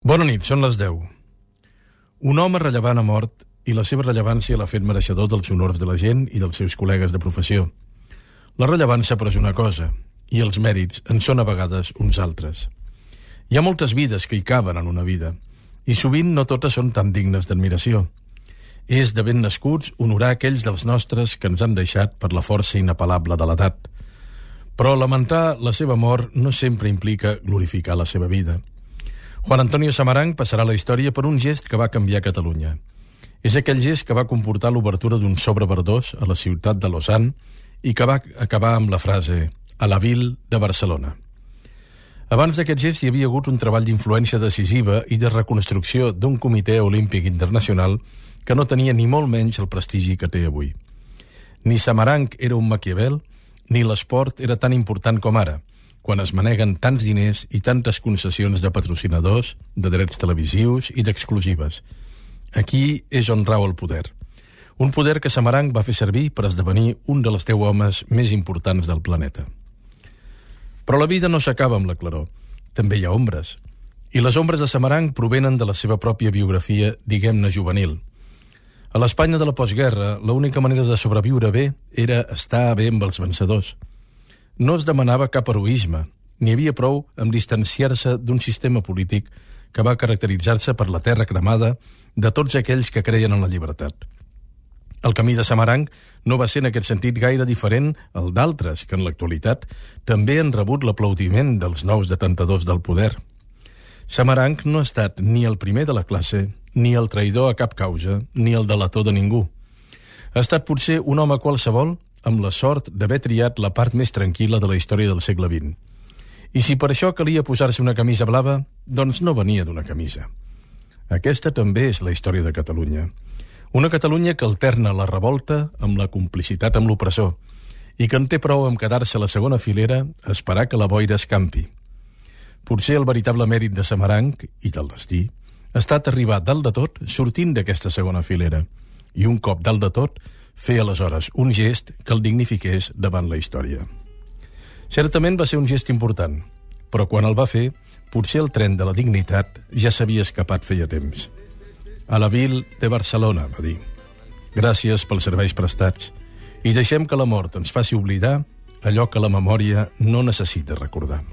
Bona nit, són les 10. Un home rellevant ha mort i la seva rellevància l'ha fet mereixedor dels honors de la gent i dels seus col·legues de professió. La rellevància, però, és una cosa, i els mèrits en són a vegades uns altres. Hi ha moltes vides que hi caben en una vida, i sovint no totes són tan dignes d'admiració. És de ben nascuts honorar aquells dels nostres que ens han deixat per la força inapel·lable de l'edat. Però lamentar la seva mort no sempre implica glorificar la seva vida. Juan Antonio Samaranch passarà a la història per un gest que va canviar Catalunya. És aquell gest que va comportar l'obertura d'un sobre verdós a la ciutat de Lausanne i que va acabar amb la frase «A la ville de Barcelona». Abans d'aquest gest hi havia hagut un treball d'influència decisiva i de reconstrucció d'un comitè olímpic internacional que no tenia ni molt menys el prestigi que té avui. Ni Samaranch era un Maquiavel, ni l'esport era tan important com ara, quan es maneguen tants diners i tantes concessions de patrocinadors, de drets televisius i d'exclusives. Aquí és on rau el poder. Un poder que Samaranch va fer servir per esdevenir un dels 10 homes més importants del planeta. Però la vida no s'acaba amb la claror. També hi ha ombres. I les ombres de Samaranch provenen de la seva pròpia biografia, diguem-ne, juvenil. A l'Espanya de la postguerra, l'única manera de sobreviure bé era estar bé amb els vencedors. No es demanava cap heroisme, n'hi havia prou amb distanciar-se d'un sistema polític que va caracteritzar-se per la terra cremada de tots aquells que creien en la llibertat. El camí de Samaranch no va ser en aquest sentit gaire diferent al d'altres que en l'actualitat també han rebut l'aplaudiment dels nous detentadors del poder. Samaranch no ha estat ni el primer de la classe, ni el traïdor a cap causa, ni el delator de ningú. Ha estat potser un home qualsevol amb la sort d'haver triat la part més tranquil·la de la història del segle XX. I si per això calia posar-se una camisa blava, doncs no venia d'una camisa. Aquesta també és la història de Catalunya. Una Catalunya que alterna la revolta amb la complicitat amb l'opressor i que en té prou amb quedar-se a la segona filera a esperar que la boira escampi. Potser el veritable mèrit de Samaranch i del destí ha estat arribar dalt de tot sortint d'aquesta segona filera i un cop dalt de tot fer aleshores un gest que el dignifiqués davant la història. Certament va ser un gest important, però quan el va fer, potser el tren de la dignitat ja s'havia escapat feia temps. A la ville de Barcelona, va dir. Gràcies pels serveis prestats i deixem que la mort ens faci oblidar allò que la memòria no necessita recordar.